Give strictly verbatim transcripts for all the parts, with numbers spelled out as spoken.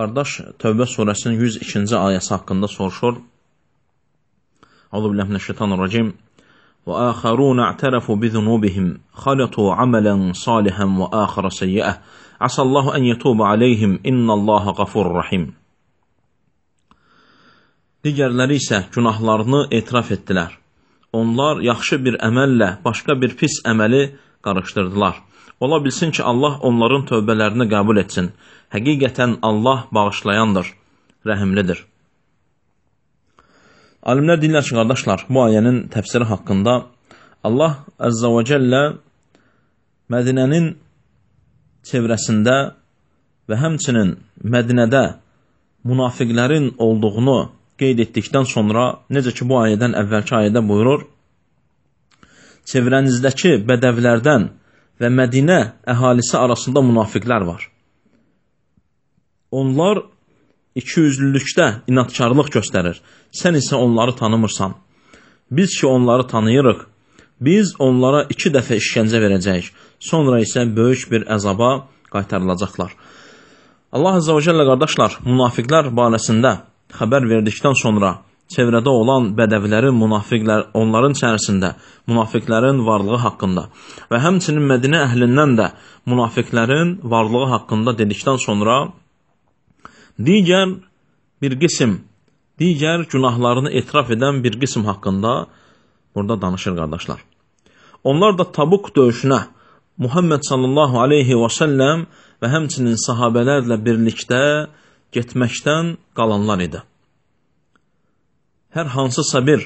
Qardaş, Tövbə surəsinin yüz ikinci ayəsi haqqında soruşur. Euzubillahimineşşeytanirracim. Və əxərun ə'tərəfu bizunubihim xalatu amələn salihən və əxərə seyyiə. Asallahu ən yetubə aleyhim innallaha qafurur rahim. Digərləri isə günahlarını etiraf etdilər. Onlar yaxşı bir əməllə başqa bir pis əməli qarışdırdılar. Ola bilsin ki, Allah onların tövbələrini qəbul etsin. Həqiqətən Allah bağışlayandır, rəhimlidir. Alimlər deyirlər ki, qardaşlar, bu ayənin təfsiri haqqında Allah Əzzə və Cəllə Mədinənin çevrəsində və həmçinin Mədinədə münafiqlərin olduğunu qeyd etdikdən sonra, necə ki, bu ayədən əvvəlki ayədə buyurur, çevrənizdəki bədəvlərdən və Mədinə əhalisi arasında münafiqlər var. Onlar ikiyüzlülükdə inadkarlıq göstərir. Sən isə onları tanımırsan. Biz ki, onları tanıyırıq. Biz onlara iki dəfə işgəncə verəcəyik. Sonra isə böyük bir əzaba qaytarılacaqlar. Allah Azza və Cəllə, qardaşlar, münafiqlər barəsində xəbər verdikdən sonra çevrədə olan bədəvlərin, münafiqlər, onların içərisində münafiqlərin varlığı haqqında və həmçinin Mədinə əhlindən də münafiqlərin varlığı haqqında dedikdən sonra digər bir qism, digər günahlarını etiraf edən bir qism haqqında burada danışır, qardaşlar. Onlar da Tabuk döyüşünə Muhammed sallallahu aleyhi və səlləm və həmçinin sahabələrlə birlikdə getməkdən qalanlar idi. Hər hansısa bir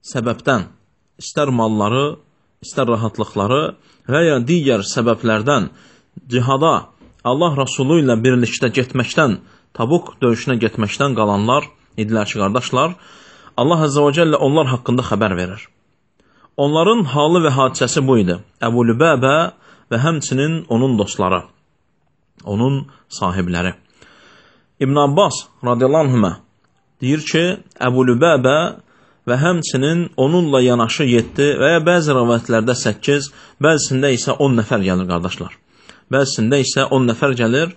səbəbdən, istər malları, istər rahatlıqları və ya digər səbəblərdən cihada Allah Rasulü ilə birlikdə getməkdən, Tabuk döyüşünə getməkdən qalanlar idilər ki, qardaşlar, Allah Əzzə və Cəllə onlar haqqında xəbər verir. Onların halı və hadisəsi bu idi. Əbu Lübəbə və həmçinin onun dostları, onun sahibləri. İbn Abbas radiyallahu anhümə deyir ki, Əbu Lübəbə və həmçinin onunla yanaşı yeddi və ya bəzi rəvayətlərdə səkkiz, bəzisində isə on nəfər gəlir, qardaşlar. Bəzisində isə on nəfər gəlir.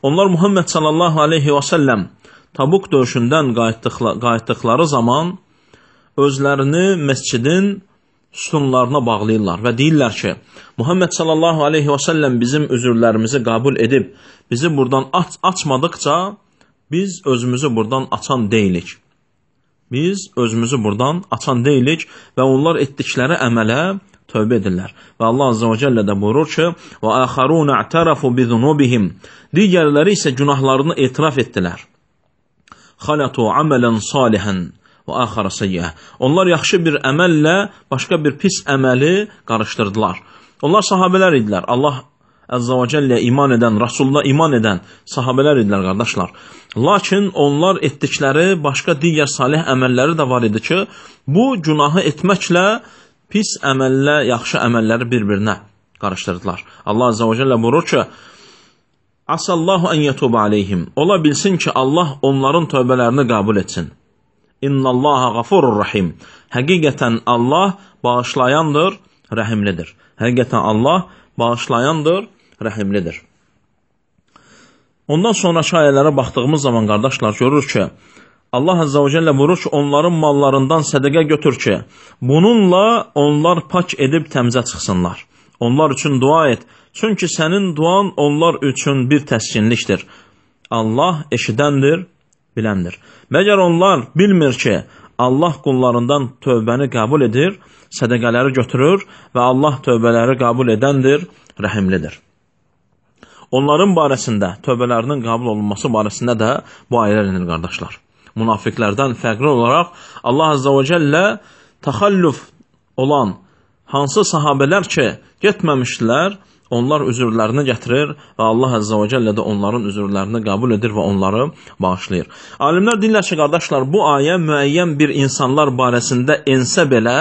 Onlar Muhammed sallallahu aleyhi və səlləm Tabuk döyüşündən qayıtdıqları zaman özlərini məscidin sütunlarına bağlayırlar və deyirlər ki, Muhammed sallallahu aleyhi və səlləm bizim üzürlərimizi qəbul edib, bizi buradan aç açmadıqca biz özümüzü buradan açan deyilik. Biz özümüzü buradan açan deyilik və onlar etdikləri əmələ tövbə edirlər. Və Allah Azza və Cəllə də buyurur ki, və əxərun ə'tərəfu bizunubihim. Digərləri isə günahlarını etiraf etdilər. Xalatu amelən salihən və əxərə seyyiə. Onlar yaxşı bir əməllə başqa bir pis əməli qarışdırdılar. Onlar sahabələr idilər. Allah Əzzə və Cəlləyə iman edən, Rasulullah iman edən sahabələr idilər, qardaşlar. Lakin onlar etdikləri başqa digər salih əməlləri də var idi ki, bu günahı etməklə pis əməllə yaxşı əməlləri bir-birinə qarışdırdılar. Allah Əzzə və Cəllə buyurur ki, Asallahu ən yetubə aleyhim. Ola bilsin ki, Allah onların tövbələrini qəbul etsin. İnnallaha qafurur rahim. Həqiqətən Allah bağışlayandır, rəhimlidir. Həqiqətən Allah bağışlayandır, rəhimlidir. Ondan sonra ayələrə baxdığımız zaman, qardaşlar, görürük ki, Allah Əzzə və Cəllə buyurur ki, onların mallarından sədəqə götür ki, bununla onlar pak edib təmizə çıxsınlar. Onlar üçün dua et, çünki sənin duan onlar üçün bir təskinlikdir. Allah eşidəndir, biləndir. Məgər onlar bilmir ki, Allah qullarından tövbəni qəbul edir, sədəqələri götürür və Allah tövbələri qəbul edəndir, rəhimlidir. Onların barəsində, tövbələrinin qəbul olunması barəsində də bu ayələr inir, qardaşlar. Münafiqlərdən fərqli olaraq Allah Azza və Cəllə təxəllüf olan hansı sahabələr ki, getməmişdilər, onlar üzürlərini gətirir və Allah Əzzə və Cəllə də onların üzürlərini qəbul edir və onları bağışlayır. Alimlər deyirlər ki, qardaşlar, bu ayə müəyyən bir insanlar barəsində ensə belə,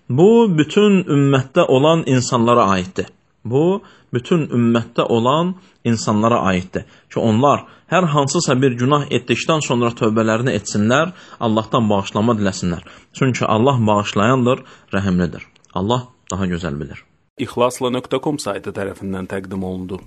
bu bütün ümmətdə olan insanlara aiddir. Bu, bütün ümmətdə olan insanlara aiddir. Ki, onlar hər hansısa bir günah etdikdən sonra tövbələrini etsinlər, Allahdan bağışlama diləsinlər. Çünki Allah bağışlayandır, rəhimlidir. Allah daha gözəl bilir. İxlasla nöqtə com saytı tərəfindən təqdim olundu.